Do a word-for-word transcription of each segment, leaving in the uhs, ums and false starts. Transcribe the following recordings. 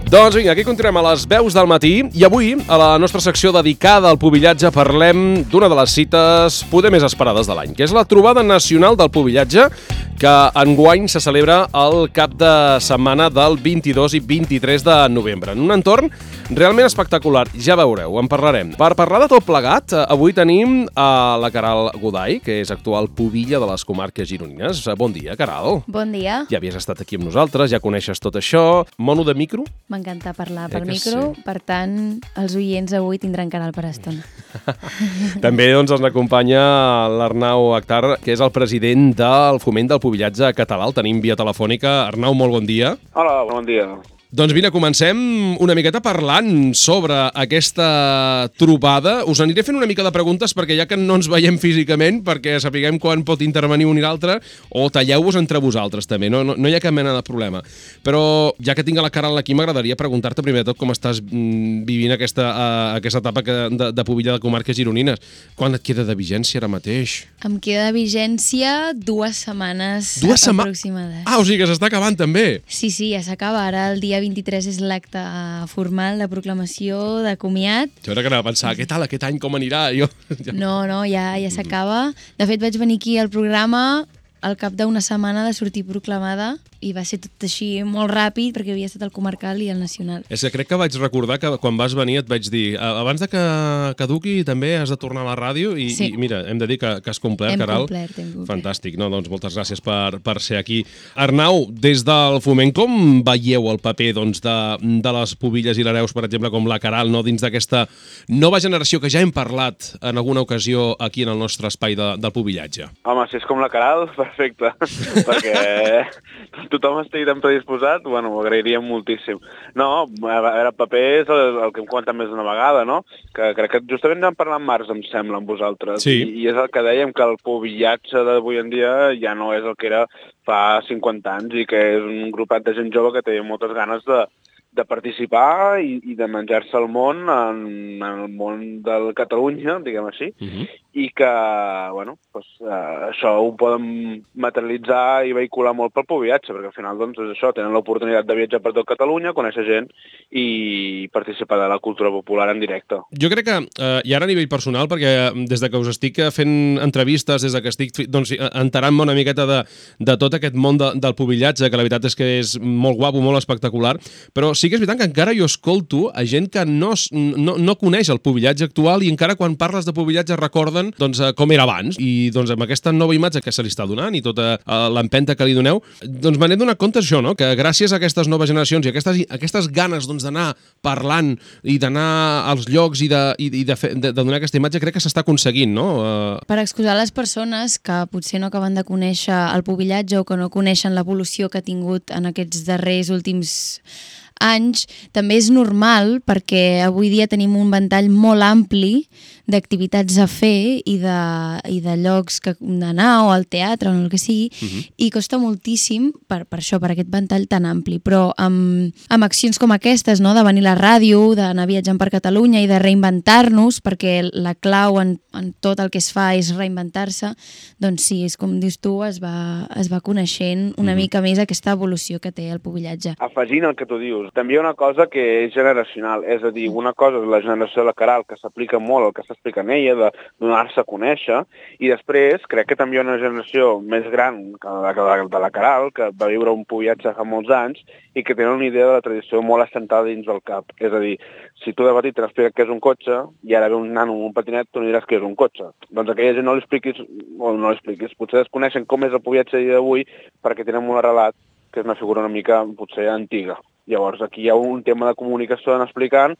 Doncs vinga, aquí continuem a les veus del matí i avui, a la nostra secció dedicada al pubillatge, parlem d'una de les cites poder més esperades de l'any, que és la Trobada Nacional del Pubillatge, que enguany se celebra el cap de setmana del vint-i-dos i vint-i-tres de novembre, en un entorn realment espectacular. Ja veureu, en parlarem. Per parlar de tot plegat, avui tenim a la Caral Goday, que és actual pubilla de les comarques gironines. Bon dia, Caral. Bon dia. Ja havies estat aquí amb nosaltres, ja coneixes tot això. Mono de micro? M'encanta parlar Eh per que micro, sí? per tant, els oients avui tindran canal per estona. També doncs, ens acompanya l'Arnau Akhtar, que és el president del Foment del Pubillatge Català. El tenim via telefònica. Arnau, molt bon dia. Hola, bon dia. Doncs vine, comencem una miqueta parlant sobre aquesta trobada. Us aniré fent una mica de preguntes perquè ja que no ens veiem físicament, perquè sapiguem quan pot intervenir un i l'altre, o talleu-vos entre vosaltres també, no, no, no hi ha cap mena de problema. Però ja que tinc a la Caral aquí, m'agradaria preguntar-te primer de tot com estàs mm, vivint aquesta, uh, aquesta etapa que, de, de pubilla de comarques gironines. Quan et queda de vigència ara mateix? Em queda de vigència dues setmanes Dues setma- aproximades. Ah, o sigui que s'està acabant també. Sí, sí, ja s'acaba. Ara el dia vint-i-tres és l'acte formal de proclamació, de comiat. Jo era que anava a pensar, què tal aquest any, com anirà? Jo... No, no, ja, ja s'acaba. De fet, vaig venir aquí al programa al cap d'una setmana de sortir proclamada i va ser tot així molt ràpid perquè havia estat el comarcal i el nacional. És que crec que vaig recordar que quan vas venir et vaig dir abans de que caduqui també has de tornar a la ràdio i, Sí. i mira, hem de dir que, que has complert, Hem Caral. complert, hem complert. Fantàstic. No, doncs moltes gràcies per, per ser aquí. Arnau, des del Foment, com veieu el paper doncs, de, de les pubilles i l'hereus, per exemple, com la Caral, no, dins d'aquesta nova generació que ja hem parlat en alguna ocasió aquí en el nostre espai de, del pubillatge? Home, si és com la Caral, perfecte, perquè tothom estigui tan predisposat, bueno, ho agrairíem moltíssim. No, a veure, el paper és el, el que hem comentat més d'una vegada, no? Que crec que justament vam parlar en març, em sembla, amb vosaltres. Sí. I, I és el que dèiem, que el pubillatge d'avui en dia ja no és el que era fa cinquanta anys i que és un grupet de gent jove que té moltes ganes de, de participar i, i de menjar-se el món en, en el món de Catalunya, diguem així, Uh -huh. i que, bueno, doncs, eh, això ho poden materialitzar i vehicular molt pel pubillatge, perquè al final, doncs, és això, tenen l'oportunitat de viatjar per tot Catalunya, conèixer gent i participar de la cultura popular en directe. Jo crec que, eh, i ara a nivell personal, perquè des de que us estic fent entrevistes, des de que estic doncs, enterant-me una miqueta de, de tot aquest món de, del pubillatge, que la veritat és que és molt guapo, molt espectacular, però sí que és veritat que encara jo escolto a gent que no, no, no coneix el pubillatge actual i encara quan parles de pubillatge recorden doncs, com era abans. I doncs, amb aquesta nova imatge que se li està donant i tota uh, l'empenta que li doneu, doncs me n'he donat compte això, no? Que gràcies a aquestes noves generacions i aquestes, aquestes ganes doncs, d'anar parlant i d'anar als llocs i de, i de, fer, de, de donar aquesta imatge, crec que s'està aconseguint, no? Uh... Per excusar les persones que potser no acaben de conèixer el pubillatge o que no coneixen l'evolució que ha tingut en aquests darrers últims anys, també és normal perquè avui dia tenim un ventall molt ampli d'activitats a fer i de, i de llocs que d'anar o al teatre o el que sigui, uh -huh. i costa moltíssim per, per això, per aquest ventall tan ampli, però amb, amb accions com aquestes, no? De venir a la ràdio, d'anar viatjant per Catalunya i de reinventar-nos, perquè la clau en, en tot el que es fa és reinventar-se, doncs sí, és com dius tu, es va, es va coneixent una uh -huh. mica més aquesta evolució que té el pubillatge. Afegint el que tu dius, també hi ha una cosa que és generacional, és a dir, una cosa és la generació de la Caral, que s'aplica molt el que s'explica en ella, de donar-se a conèixer, i després crec que també hi ha una generació més gran que la de la Caral, que va viure un pubillatge fa molts anys i que tenen una idea de la tradició molt assentada dins del cap. És a dir, si tu de petit t'expliques què és un cotxe i ara ve un nano amb un patinet, tu no diràs què és un cotxe. Doncs a aquella gent no li expliquis, o no li expliquis, potser desconeixen com és el pubillatge d'avui perquè tenen un arrelat que és una figura una mica, potser, antiga. Llavors, aquí hi ha un tema de comunicació en explicant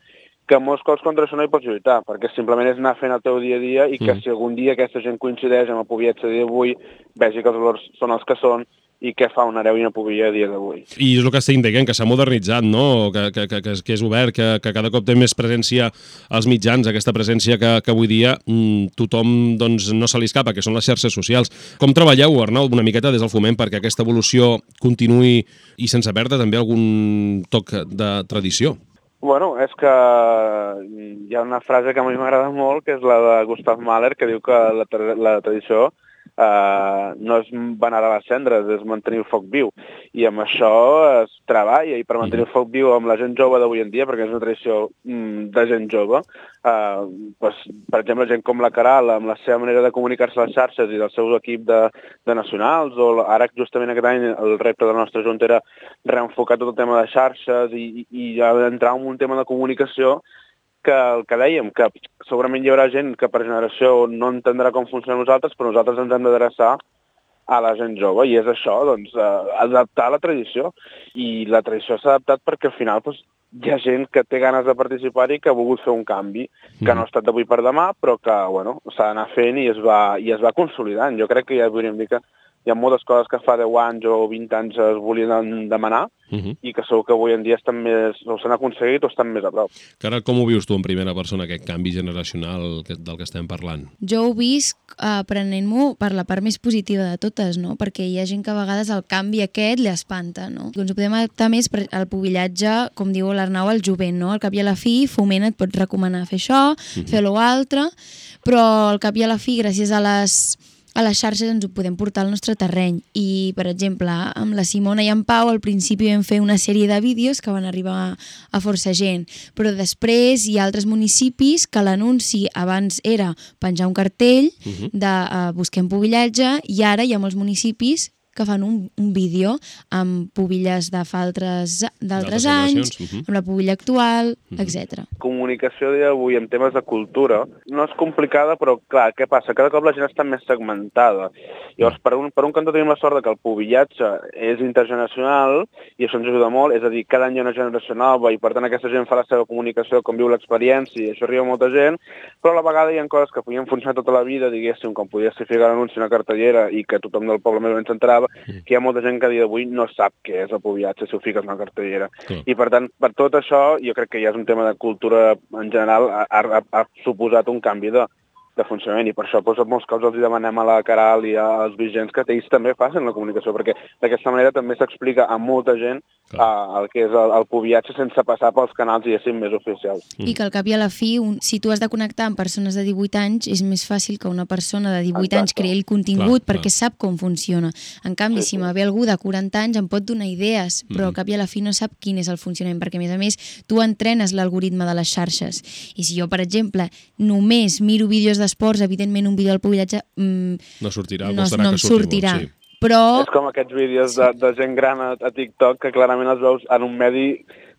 que molts cops contra això no hi pots lluitar, perquè simplement és anar fent el teu dia a dia i que mm. si algun dia aquesta gent coincideix amb el pubillatge d'avui, vegi que els valors són els que són i què fa una hereu i una pubilla a dia d'avui. I és el que estic dient, que s'ha modernitzat, no? Que, que, que, que és obert, que, que cada cop té més presència als mitjans, aquesta presència que, que avui dia mmm, tothom doncs, no se li escapa, que són les xarxes socials. Com treballeu, Arnau, una miqueta des del Foment perquè aquesta evolució continuï i sense perdre també algun toc de tradició? Bueno, és que hi ha una frase que a mi m'agrada molt, que és la de Gustav Mahler, que diu que la, tra la tradició Uh, no és venerar les cendres, és mantenir el foc viu. I amb això es treballa, i per mantenir el foc viu amb la gent jove d'avui en dia, perquè és una tradició mm, de gent jove, uh, pues, per exemple, gent com la Caral, amb la seva manera de comunicar-se a les xarxes i del seu equip de, de nacionals, o ara justament aquest any el repte de la nostra junta era reenfocar tot el tema de xarxes i, i, i entrar en un tema de comunicació que el que dèiem, que segurament hi haurà gent que per generació no entendrà com funciona nosaltres, però nosaltres ens hem d'adreçar a la gent jove, i és això, doncs, eh, adaptar la tradició. I la tradició s'ha adaptat perquè al final doncs, hi ha gent que té ganes de participar-hi, que ha volgut fer un canvi, que no ha estat d'avui per demà, però que bueno, s'ha d'anar fent i es, va, i es va consolidant. Jo crec que ja podríem dir que hi ha moltes coses que fa deu anys o vint anys es volien demanar, uh -huh. i que segur que avui en dia estan més, o s'han aconseguit o estan més a prop. Cara, com ho vius tu en primera persona, aquest canvi generacional del que estem parlant? Jo ho visc aprenent-m'ho per la part més positiva de totes, no? Perquè hi ha gent que a vegades el canvi aquest li espanta, no? Doncs ho podem adaptar més al pubillatge, com diu l'Arnau, al jovent, no? Al cap i a la fi, Foment et pot recomanar fer això, uh -huh. fer lo altre, però al cap i a la fi, gràcies a les a les xarxes ens ho podem portar al nostre terreny. I, per exemple, amb la Simona i en Pau al principi vam fer una sèrie de vídeos que van arribar a força gent, però després hi ha altres municipis que l'anunci abans era penjar un cartell uh-huh. de uh, busquem pubillatge, i ara hi ha molts municipis que fan un, un vídeo amb pubilles de fa altres d'altres anys, uh-huh. amb la pubilla actual, uh-huh. etcètera. Comunicació d'avui en temes de cultura no és complicada, però clar, què passa? Cada cop la gent està més segmentada. Llavors, per un, per un cantó tenim la sort que el pubillatge és intergeneracional i això ens ajuda molt, és a dir, cada any hi ha una generació nova i per tant aquesta gent fa la seva comunicació com viu l'experiència i això arriba a molta gent, però a la vegada hi ha coses que podien funcionar tota la vida, diguéssim, com podia ser ficar l'anunci a una cartellera i que tothom del poble més o menys s'entrava, que hi ha molta gent que a dia d'avui no sap què és el pubillatge si ho fiques en una cartellera. Sí. I per tant, per tot això, jo crec que ja és un tema de cultura en general, ha, ha, ha suposat un canvi de, de funcionament, i per això doncs, molts cops els demanem a la Caral i als vigents que ells també facin la comunicació, perquè d'aquesta manera també s'explica a molta gent uh, el que és el, el pubillatge sense passar pels canals, diguéssim, més oficials. I que al cap i a la fi, un, si tu has de connectar amb persones de divuit anys, és més fàcil que una persona de divuit Exacte. anys creï el contingut clar, perquè clar. sap com funciona. En canvi, sí, si sí. me ve algú de quaranta anys em pot donar idees, però mm. al cap i a la fi no sap quin és el funcionament, perquè a més a més tu entrenes l'algoritme de les xarxes. I si jo, per exemple, només miro vídeos d'esports, evidentment un vídeo del pubillatge mmm, no sortirà, no, no em que sortirà. Molt, sí. Però... És com aquests vídeos de, de gent gran a, a TikTok que clarament els veus en un medi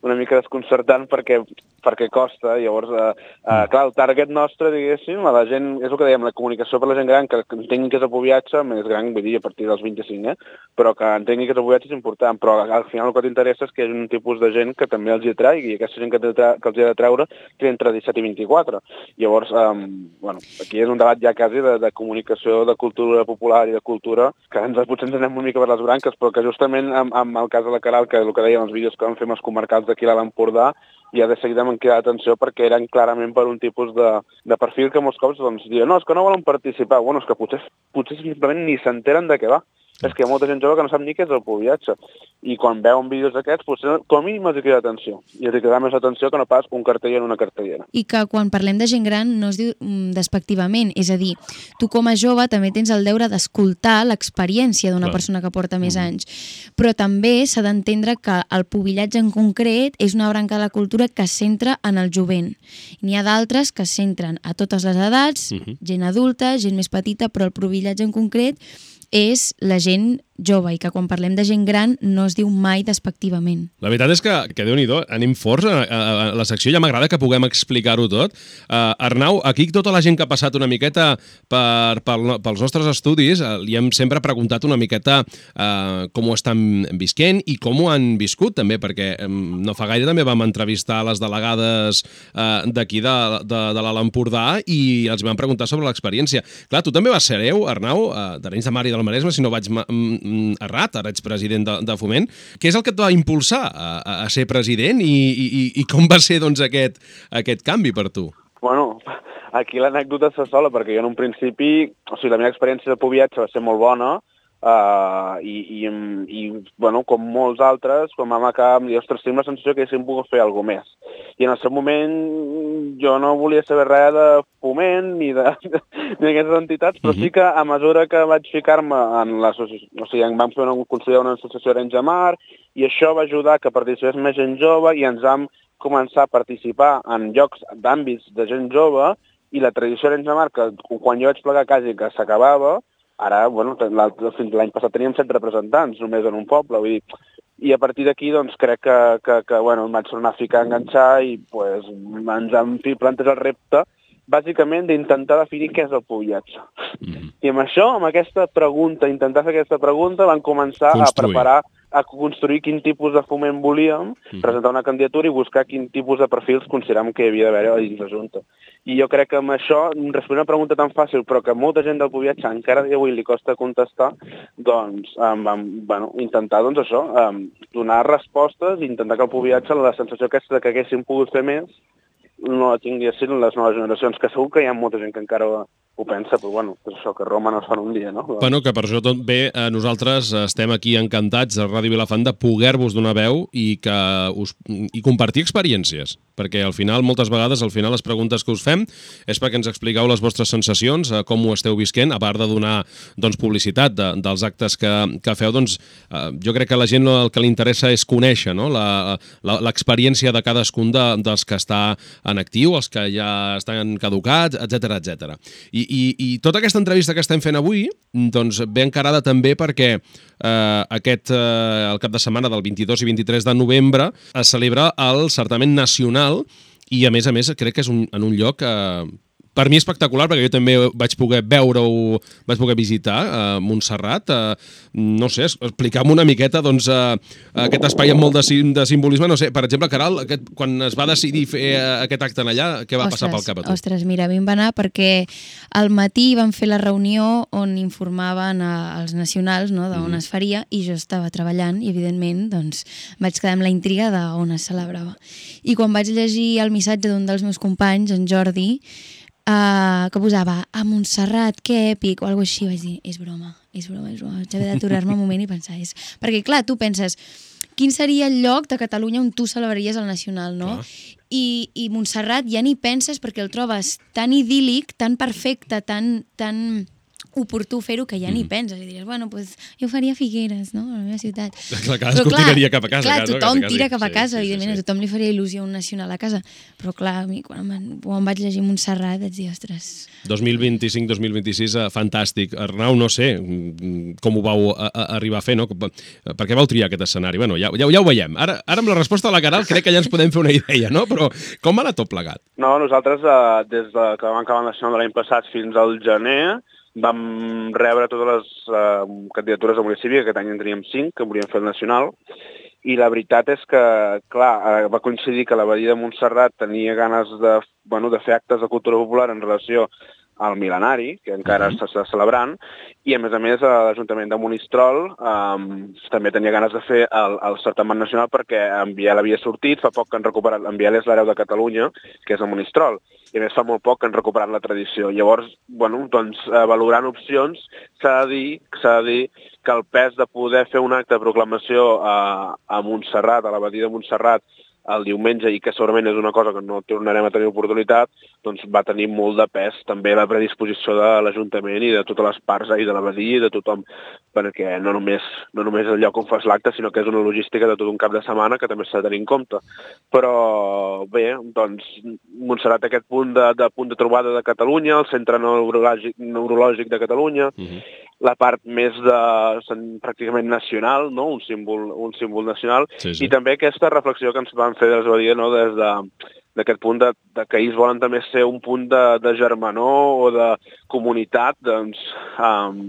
una mica desconcertant perquè, perquè costa. Llavors, eh, eh, clar, el target nostre, diguéssim, a la gent, és el que dèiem, la comunicació per la gent gran, que entengui que és el pubillatge, més gran, vull dir, a partir dels vint-i-cinc, eh? però que entengui que és el pubillatge és important, però al final el que t'interessa és que hi ha un tipus de gent que també els hi atraigui, i aquesta gent que, que els hi ha de treure té entre disset i vint-i-quatre. Llavors, eh, bueno, aquí és un debat ja quasi de, de comunicació, de cultura popular i de cultura, que ens, potser ens anem una mica per les branques, però que justament amb, amb el cas de la Caral, que el que dèiem, els vídeos que vam fer amb els comarcals d'aquí a l'Empordà, i de seguida m'han cridat atenció perquè eren clarament per un tipus de, de perfil que molts cops doncs, diuen, no, és que no volen participar. Bueno, és que potser, potser simplement ni s'enteren de què va. És que hi ha molta gent jove que no sap ni què és el pubillatge. I quan veuen vídeos d'aquests, potser com a mínim els hi crida atenció. I els hi crida més atenció que no pas un cartell en una cartellera. I que quan parlem de gent gran no es diu despectivament. És a dir, tu com a jove també tens el deure d'escoltar l'experiència d'una persona que porta més anys. Però també s'ha d'entendre que el pubillatge en concret és una branca de la cultura que es centra en el jovent. N'hi ha d'altres que es centren a totes les edats, uh-huh. gent adulta, gent més petita, però el pubillatge en concret és la gent jove, i que quan parlem de gent gran no es diu mai despectivament. La veritat és que, que Déu-n'hi-do, anem forts a, a, a la secció, ja m'agrada que puguem explicar-ho tot. Uh, Arnau, aquí tota la gent que ha passat una miqueta per, per, pels nostres estudis, uh, li hem sempre preguntat una miqueta uh, com ho estan visquent i com ho han viscut també, perquè um, no fa gaire també vam entrevistar les delegades uh, d'aquí de, de, de l'Alt Empordà i els vam preguntar sobre l'experiència. Clar, tu també vas ser hereu, Arnau, uh, d'Arenys de Mar i del Maresme, si no vaig errat, ara ets president de, de Foment. Què és el que et va impulsar a, a ser president i, i, i com va ser doncs, aquest, aquest canvi per tu? Bueno, aquí l'anècdota se sola, perquè jo en un principi, o sigui, la meva experiència de pubillatge va ser molt bona, Uh, i, i, i bueno, com molts altres, quan vam acabar em dir, ostres, tinc la sensació que haguéssim pogut fer alguna més. I en el seu moment jo no volia saber res de foment ni d'aquestes entitats, però sí que a mesura que vaig ficar-me en l'associació, o sigui, em vam fer una, construir una associació Arenys de Mar, i això va ajudar que participés més gent jove i ens vam començar a participar en llocs d'àmbits de gent jove, i la tradició Arenys de Mar, que quan jo vaig plegar quasi que s'acabava, ara, bueno, fins l'any passat teníem set representants només en un poble, vull dir, i a partir d'aquí doncs crec que, que, que bueno, em vaig tornar a ficar a enganxar i pues, ens hem plantat el repte bàsicament d'intentar definir què és el pubillatge. Mm-hmm. I amb això, amb aquesta pregunta, intentar fer aquesta pregunta, van començar Construir. a preparar, a construir quin tipus de foment volíem, mm-hmm. presentar una candidatura i buscar quin tipus de perfils consideràvem que hi havia d'haver a dins la Junta. I jo crec que amb això, respondre una pregunta tan fàcil, però que molta gent del pubillatge encara avui li costa contestar, doncs um, vam bueno, intentar doncs, això, um, donar respostes i intentar que el pubillatge, la sensació aquesta que haguéssim pogut fer més, no la tinguessin les noves generacions, que segur que hi ha molta gent que encara ho pensa, però bueno, és això, que Roma no es fa en un dia, no? Bueno, que per això tot bé, eh, nosaltres estem aquí encantats a Ràdio Vilafant de poder-vos donar veu i, que us, i compartir experiències, perquè al final, moltes vegades, al final les preguntes que us fem és perquè ens expliqueu les vostres sensacions, eh, com ho esteu visquent, a part de donar doncs, publicitat de, dels actes que, que feu, doncs eh, jo crec que a la gent el que li interessa és conèixer, no? l'experiència de cadascun de, dels que està en actiu, els que ja estan caducats, etcètera, etcètera. I I, i tota aquesta entrevista que estem fent avui doncs, ve encarada també perquè eh, aquest, eh, el cap de setmana del vint-i-dos i vint-i-tres de novembre es celebra el certamen nacional i, a més a més, crec que és un, en un lloc eh, per mi espectacular, perquè jo també vaig poder veure-ho, vaig poder visitar a uh, Montserrat. Uh, no sé, explicar-me una miqueta doncs, uh, aquest espai amb molt de, sim, de simbolisme. No sé, per exemple, Caral, aquest, quan es va decidir fer uh, aquest acte allà, què va ostres, passar pel cap a tu? Ostres, mira, a mi em va anar perquè al matí van fer la reunió on informaven als nacionals, no, d'on mm. es faria, i jo estava treballant i, evidentment, doncs, vaig quedar amb la intriga d'on es celebrava. I quan vaig llegir el missatge d'un dels meus companys, en Jordi, Uh, que posava a Montserrat, que èpic, o alguna cosa així, vaig dir, és broma, és broma, és broma. Vaig haver d'aturar-me un moment i pensar, és... Perquè, clar, tu penses, quin seria el lloc de Catalunya on tu celebraries el nacional, no? I, i Montserrat ja ni penses perquè el trobes tan idíl·lic, tan perfecte, tan... tan oportú fer-ho que ja ni penses i diries, bueno, pues, jo faria Figueres, no?, a la meva ciutat. Clar, cadascú tiraria cap a casa. Clar, tothom casa, tira cap a casa, sí, sí, evidentment, sí, sí. a tothom li faria il·lusió un nacional a casa, però clar, a mi, quan em, quan em vaig llegir Montserrat vaig dir, ostres... dos mil vint-i-cinc dos mil vint-i-sis, eh, fantàstic. Arnau, no sé com ho vau a, a arribar a fer, no? Per què vau triar aquest escenari? Bueno, ja, ja, ja ho veiem. Ara, ara amb la resposta de la Caral crec que ja ens podem fer una idea, no? Però com va anar tot plegat? No, nosaltres, eh, des de que vam acabar el nacional de l'any passat fins al gener, vam rebre totes les uh, candidatures de municipi, que aquest any en teníem cinc, que volíem fer el nacional, i la veritat és que, clar, va coincidir que l'Abadia de Montserrat tenia ganes de, bueno, de fer actes de cultura popular en relació al mil·lenari, que encara uh-huh. s'està celebrant, i a més a més l'Ajuntament de Monistrol um, també tenia ganes de fer el, el certamen nacional perquè en Biel havia sortit, fa poc que han recuperat, en Biel és l'hereu de Catalunya, que és el Monistrol, i a més fa molt poc que han recuperat la tradició. Llavors, bueno, doncs, eh, valorant opcions, s'ha de dir, s'ha de dir que el pes de poder fer un acte de proclamació a, a Montserrat, a l'Abadia de Montserrat, el diumenge, i que segurament és una cosa que no tornarem a tenir oportunitat, doncs va tenir molt de pes també la predisposició de l'Ajuntament i de totes les parts i de l'Abadia i de tothom, perquè no només, no només el lloc on fas l'acte, sinó que és una logística de tot un cap de setmana que també s'ha de tenir en compte. Però bé, doncs Montserrat aquest punt de, de punt de trobada de Catalunya, el centre neurològic, neurològic de Catalunya, uh-huh. la part més de pràcticament nacional, no? un, símbol, un símbol nacional, sí, sí. I també aquesta reflexió que ens van fer des de no? des de d'aquest punt de, de que ells volen també ser un punt de, de germanor o de comunitat doncs, um,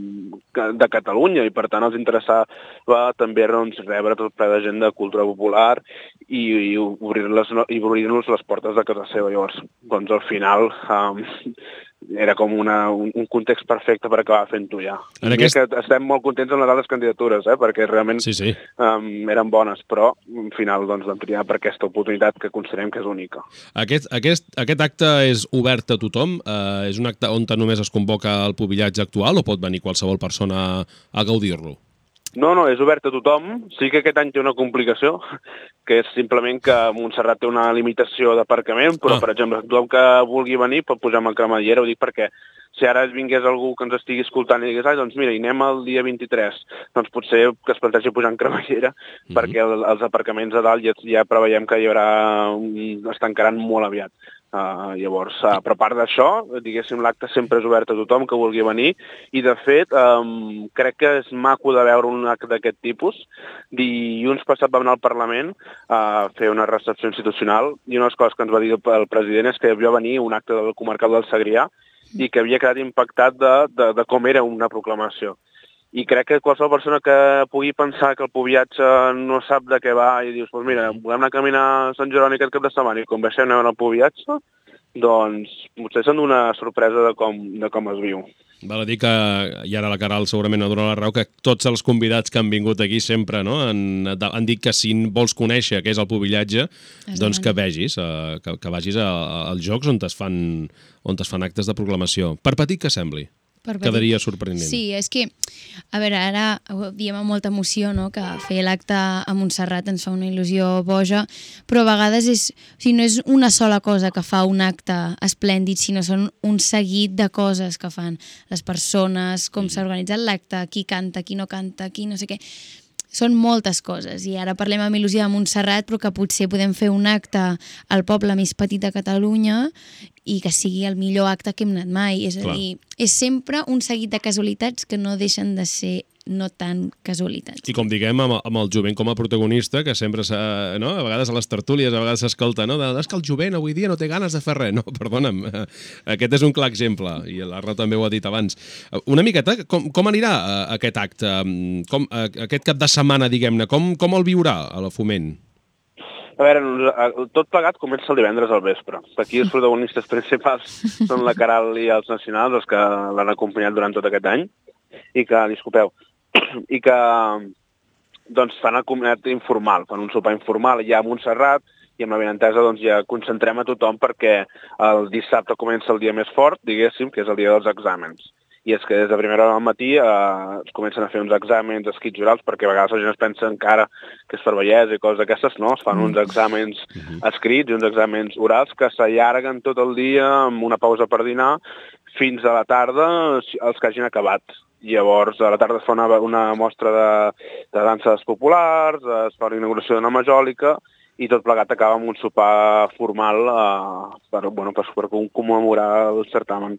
de Catalunya, i per tant els interessava també doncs, rebre tot ple de gent de cultura popular i, i obrir-los i obrir-nos les portes de casa seva. Llavors, doncs al final um, era com una, un, un context perfecte per acabar fent-ho ja. En aquest... que estem molt contents amb les altres candidatures, eh? Perquè realment sí, sí. Um, eren bones, però al final doncs, vam triar per aquesta oportunitat que considerem que és única. Aquest, aquest, aquest acte és obert a tothom? Uh, és un acte on només es convoca el pubillatge actual o pot venir qualsevol persona a gaudir-lo? No, no, és obert a tothom. Sí que aquest any té una complicació, que és simplement que Montserrat té una limitació d'aparcament, però, ah. per exemple, tothom que vulgui venir pot pujar amb el cremallera, ho dic perquè si ara vingués algú que ens estigui escoltant i digués, ai, doncs mira, hi anem el dia vint-i-tres, doncs potser que es plantegi pujar en cremallera, mm-hmm. perquè el, els aparcaments a dalt ja, ja preveiem que hi haurà, es tancaran molt aviat. Uh, llavors, uh, però a part d'això, diguéssim, l'acte sempre és obert a tothom que vulgui venir i, de fet, um, crec que és maco de veure un acte d'aquest tipus. Dilluns passat vam anar al Parlament a fer una recepció institucional i una de les coses que ens va dir el president és que havia venir un acte del comarcal del Segrià i que havia quedat impactat de, de, de com era una proclamació. I crec que qualsevol persona que pugui pensar que el pubillatge no sap de què va i dius, doncs pues mira, volem anar a caminar a Sant Jeroni aquest cap de setmana i com baixem anem al pubillatge, doncs potser són una sorpresa de com, de com es viu. Val a dir que, i ara la Caral segurament ha donat la raó, que tots els convidats que han vingut aquí sempre no, han, han dit que si vols conèixer què és el pubillatge, doncs que vegis, que, que vagis als jocs on es, fan, on es fan actes de proclamació. Per petit que sembli. Quedaria sorprenent. Sí, és que, a veure, ara ho diem amb molta emoció, no?, que fer l'acte a Montserrat ens fa una il·lusió boja, però a vegades és, o sigui, no és una sola cosa que fa un acte esplèndid, sinó són un seguit de coses que fan les persones, com s'ha organitzat l'acte, qui canta, qui no canta, qui no sé què. Són moltes coses, i ara parlem amb il·lusió de Montserrat, però que potser podem fer un acte al poble més petit de Catalunya i que sigui el millor acte que hem anat mai. És a Clar. dir, és sempre un seguit de casualitats que no deixen de ser no tan casualitats. I com diguem, amb, amb el jovent com a protagonista, que sempre s'ha, no? A vegades a les tertúlies, a vegades s'escolta, no? De, és que el jovent avui dia no té ganes de fer res. No, perdona'm, aquest és un clar exemple, i l'Arra també ho ha dit abans. Una miqueta, com, com anirà aquest acte? Com, aquest cap de setmana, diguem-ne, com, com el viurà a la Foment? A veure, tot plegat comença el divendres al vespre. Aquí els protagonistes principals són la Caral i els nacionals, els que l'han acompanyat durant tot aquest any, i que, disculpeu, i que doncs, fan el comiat informal, fan un sopar informal ja a Montserrat, i amb la benentesa doncs, ja concentrem a tothom perquè el dissabte comença el dia més fort, diguéssim, que és el dia dels exàmens. I és que des de primera hora del matí eh, es comencen a fer uns exàmens escrits orals, perquè a vegades la gent es pensa encara que és per bellesa i coses d'aquestes, no? Es fan uns exàmens escrits i uns exàmens orals que s'allarguen tot el dia amb una pausa per dinar fins a la tarda els que hagin acabat. Llavors, a la tarda es fa una, una mostra de, de danses populars, es fa una inauguració d'una majòlica i tot plegat acaba amb un sopar formal eh, per, bueno, per, per commemorar el certamen.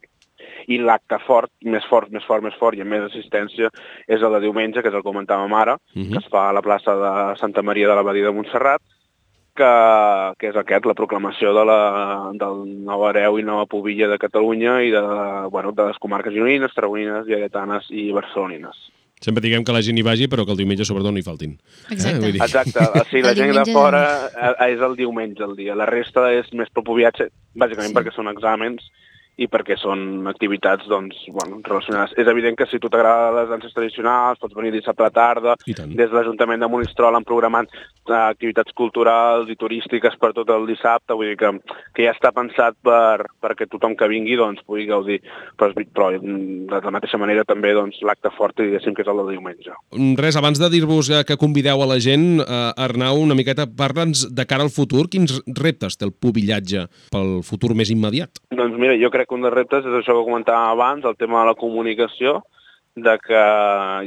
I l'acte fort, més fort, més fort, més fort i amb més assistència és el de diumenge, que és el que comentàvem ara, uh-huh. que es fa a la plaça de Santa Maria de l'Abadia de Montserrat, que, que és aquest, la proclamació de la, del nou hereu i nova pubilla de Catalunya i de, bueno, de les comarques gironines, tarragonines, lleidatanes i barcelonines. Sempre diguem que la gent hi vagi, però que el diumenge sobretot no hi faltin. Exacte. Eh? Dir... Exacte. O sigui, la gent de fora és el diumenge el dia. La resta és més per pubillatge, bàsicament sí. perquè són exàmens i perquè són activitats doncs, bueno, relacionades. És evident que si tu t'agrada les danses tradicionals, pots venir dissabte a la tarda, des de l'Ajuntament de Monistrol han programat uh, activitats culturals i turístiques per tot el dissabte, vull dir que, que ja està pensat per, perquè tothom que vingui doncs, pugui gaudir. Però, però de la mateixa manera també doncs, l'acte fort, diguéssim, que és el de diumenge. Res, abans de dir-vos que convideu a la gent, uh, Arnau, una miqueta, parla'ns de cara al futur, quins reptes té el pubillatge pel futur més immediat? Doncs mira, jo crec que un dels reptes és això que comentàvem abans, el tema de la comunicació, de que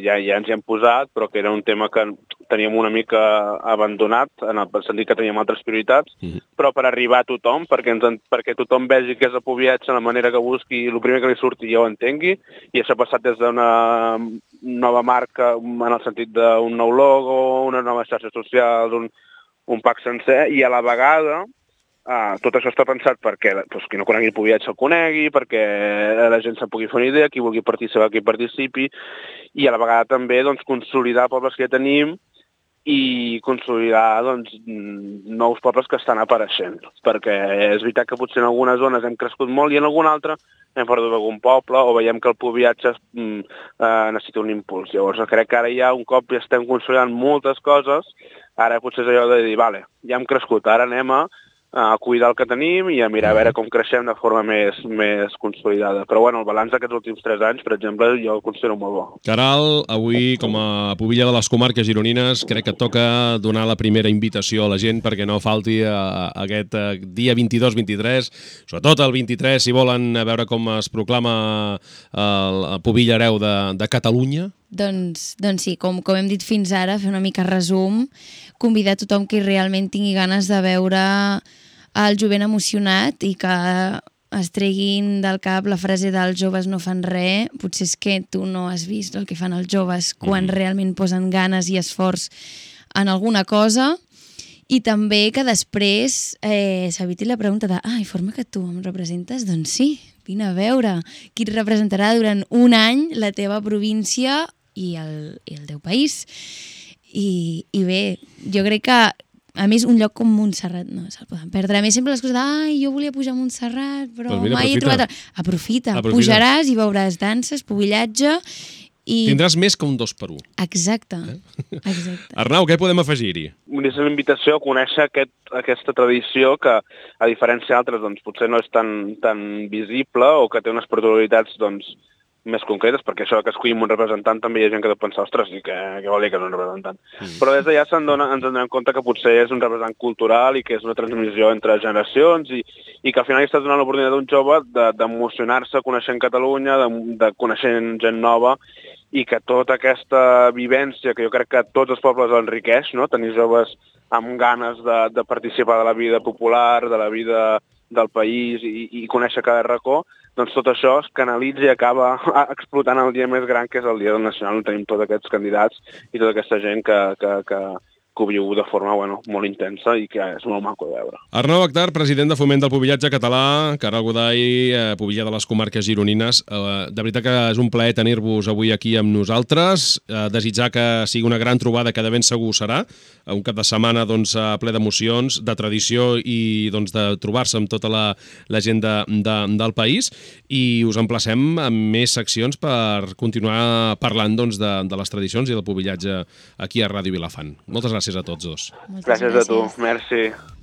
ja, ja ens hi hem posat, però que era un tema que teníem una mica abandonat, en el sentit que teníem altres prioritats, mm-hmm. però per arribar a tothom, perquè, ens, perquè tothom vegi que és el pubillatge, la manera que busqui, el primer que li surti ja ho entengui, i això ha passat des d'una nova marca, en el sentit d'un nou logo, una nova xarxa social, un, un pack sencer, i a la vegada Uh, tot això està pensat perquè doncs, qui no conegui el pubillatge el conegui, perquè la gent se'n pugui fer una idea, qui vulgui participar, qui participi, i a la vegada també doncs, consolidar pobles que ja tenim i consolidar doncs, nous pobles que estan apareixent, perquè és veritat que potser en algunes zones hem crescut molt i en alguna altra hem perdut algun poble o veiem que el pobillatge eh, necessita un impuls. Llavors crec que ara ja un cop ja estem consolidant moltes coses, ara potser és allò de dir, vale, ja hem crescut, ara anem a a cuidar el que tenim i a mirar a veure com creixem de forma més, més consolidada. Però bueno, el balanç d'aquests últims tres anys, per exemple, jo el considero molt bo. Caral, avui, com a pubilla de les comarques gironines, crec que et toca donar la primera invitació a la gent perquè no falti a, a aquest dia vint-i-dos vint-i-tres, sobretot el vint-i-tres, si volen veure com es proclama el pubilla hereu de, de Catalunya. Doncs, doncs sí, com, com hem dit fins ara, fer una mica resum, convidar tothom que realment tingui ganes de veure el jovent emocionat i que es treguin del cap la frase dels joves no fan res. Potser és que tu no has vist el que fan els joves quan mm. realment posen ganes i esforç en alguna cosa. I també que després eh, s'eviti la pregunta de ah, i forma que tu em representes? Doncs sí, vine a veure qui et representarà durant un any la teva província i el, i el teu país. I, i bé, jo crec que a més, un lloc com Montserrat no se'l poden perdre. A més, sempre les coses de ai, jo volia pujar a Montserrat, però pues mira, mai he trobat... Aprofita, aprofita, pujaràs i veuràs danses, pubillatge i... Tindràs més que un dos per un. Exacte, eh? Exacte. Arnau, què podem afegir-hi? És una invitació a conèixer aquest, aquesta tradició que, a diferència d'altres, doncs, potser no és tan, tan visible o que té unes particularitats doncs, més concretes, perquè això que escollim un representant també hi ha gent que deu pensar, ostres, i que, què vol dir que és un representant? Mm. Però des d'allà se'n dona, ens donem compte que potser és un representant cultural i que és una transmissió entre generacions i, i que al final està donant l'oportunitat d'un jove d'emocionar-se de, coneixent Catalunya, de, de coneixent gent nova i que tota aquesta vivència que jo crec que tots els pobles enriqueix, no? Tenir joves amb ganes de, de participar de la vida popular, de la vida del país i, i conèixer cada racó, doncs tot això es canalitza i acaba explotant el dia més gran, que és el Dia del Nacional, on tenim tots aquests candidats i tota aquesta gent que, que, que, que ho viu de forma bueno, molt intensa i que és molt maco de veure. Arnau Akhtar, president de Foment del Pubillatge Català, Caral Goday, eh, pubilla de les comarques gironines. Eh, de veritat que és un plaer tenir-vos avui aquí amb nosaltres, eh, desitjar que sigui una gran trobada, que de ben segur serà, un cap de setmana doncs, ple d'emocions, de tradició i doncs, de trobar-se amb tota la, la gent de, de, del país, i us emplacem amb més seccions per continuar parlant doncs, de, de les tradicions i del pubillatge aquí a Ràdio Vilafant. Moltes gràcies a tots dos. Moltes gràcies, gràcies a tu, gràcies. merci.